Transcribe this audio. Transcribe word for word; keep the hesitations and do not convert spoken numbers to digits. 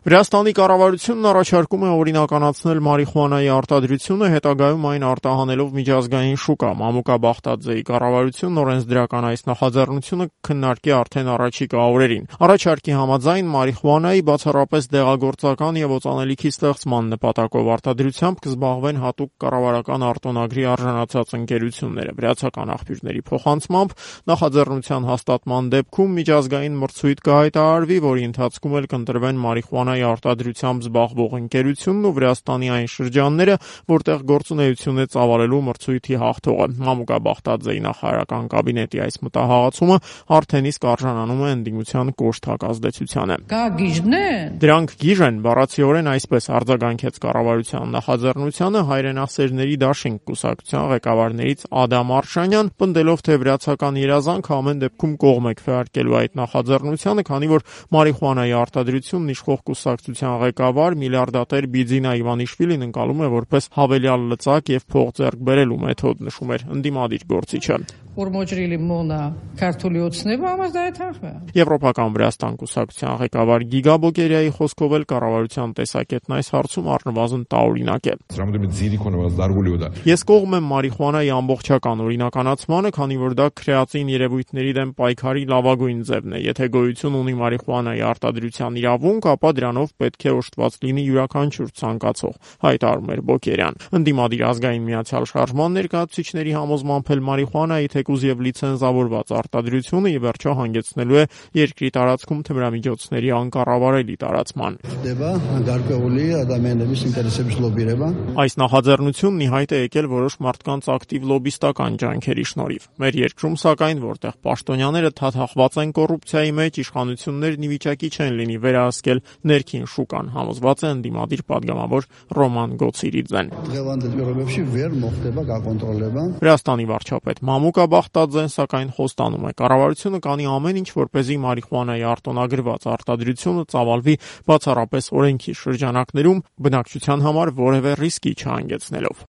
Վրաստանի կառավարությունն առաջարկում է օրինականացնել մարիխուանայի արտադրությունը, հետագայում այն արտահանելով միջազգային շուկա։ Մամուկա Բախտաձեի կառավարությունն օրենսդրական այս նախաձեռնությունը քննարկի արդեն առաջիկա օրերին։ Առաջարկի համաձայն մարիխուանայի բացառապես դեղագործական եւ օծանելիքի ստեղծման նպատակով արտադրությամբ կզբաղվեն հատուկ կառավարական արտոնագրի արժանացած ընկերությունները։ Վրացական աղբյուրների փոխանցմամբ նախաձեռնության հաստատման դեպքում միջազգային մրցույթ կհայտարարվի, որի ընթացքում էլ կընտրվեն մարիխուանայի արտադրությամբ զբաղվող ընկերությունն ու Վրաստանի այն շրջանները, որտեղ գործունեություն է ծավալելու մրցույթի հաղթողը։ Մամուկա Բախտաձեի նախարարական կաբինետի այս մտահղացումը արդեն իսկ արժանանում է ընդդիմության կոշտ հակազդեցությանը։ Դրանք գիժ են, բառացիորեն այսպես արձագանքեց կառավարության նախաձեռնությանը հայրենասերների դաշինք կուսակցության ղեկավարներից Ադամ Արշանյան, պնդելով, թե վրացական երազանքը ամեն դեպքում կողմ է քվեարկելու այդ նախաձեռնությանը, քանի որ մարիխուանայի արտադրությունն իշխող կուսակցության ղեկավար միլիարդատեր Բիձինա Իվանիշվիլին ընկալում է որպես հավելյալ լծակ եւ փող ձեռք բերելու մեթոդ, նշում էր ընդդիմադիր գործիչը։ Եվրոպական Վրաստան կուսակցության ղեկավար Գիգա Բոկերյայի խոսքով էլ կառավարության տեսակետն այս հարցում առնվազն տարօրինակ է։ Ես կողմ եմ մարիխուանայի ամբողջական օրինականացմանը, քանի որ դա քրեատին երևույթների դեմ պայքարի լավագույն ձևն է։ Եթե գոյություն ունի մարիխուանայի արտադրության իրավունք, ապա դրանով պետք է օժտված լինի յուրաքանչյուր ցանկացող, հայտարարում էր Բոկերյան։ Ընդդիմադիր ազգային միացյալ շարժման ներկայացուցիչների համոզմամբ էլ մարիխուանայի թեկուզ եւ լիցենզավորված արտադրությունը ի վերջո հանգեցնելու է երկրի տարածքում թմրամիջոցների անկառավարելի տարածման։ Այս նախաձեռնությունն ի հայտ է եկել որոշ մարդկանց ակտիվ լոբիստական ջանքերի շնորհիվ։ Մեր երկրում, սակայն, որտեղ պաշտոնյաները թաթախված են կոռուպցիայի մեջ, իշխանություններն ի վիճակի չեն լինի վերահսկել ներքին շուկան, համոզված է ընդդիմադիր падգամավոր Ռոման Գոցիրիձեն։ Վրաստանի վարչապետ Մամուկա Բախտաձեն սակայն խոստանում է, կառավարությունը կանի ամեն ինչ, որպեսզի մարիխուանայի արտոնագրված արտադրությունը ծավալվի բացառապես օրենքի շրջանակներում, բնակչության համար որևէ ռիսկի չհանգեցնելով։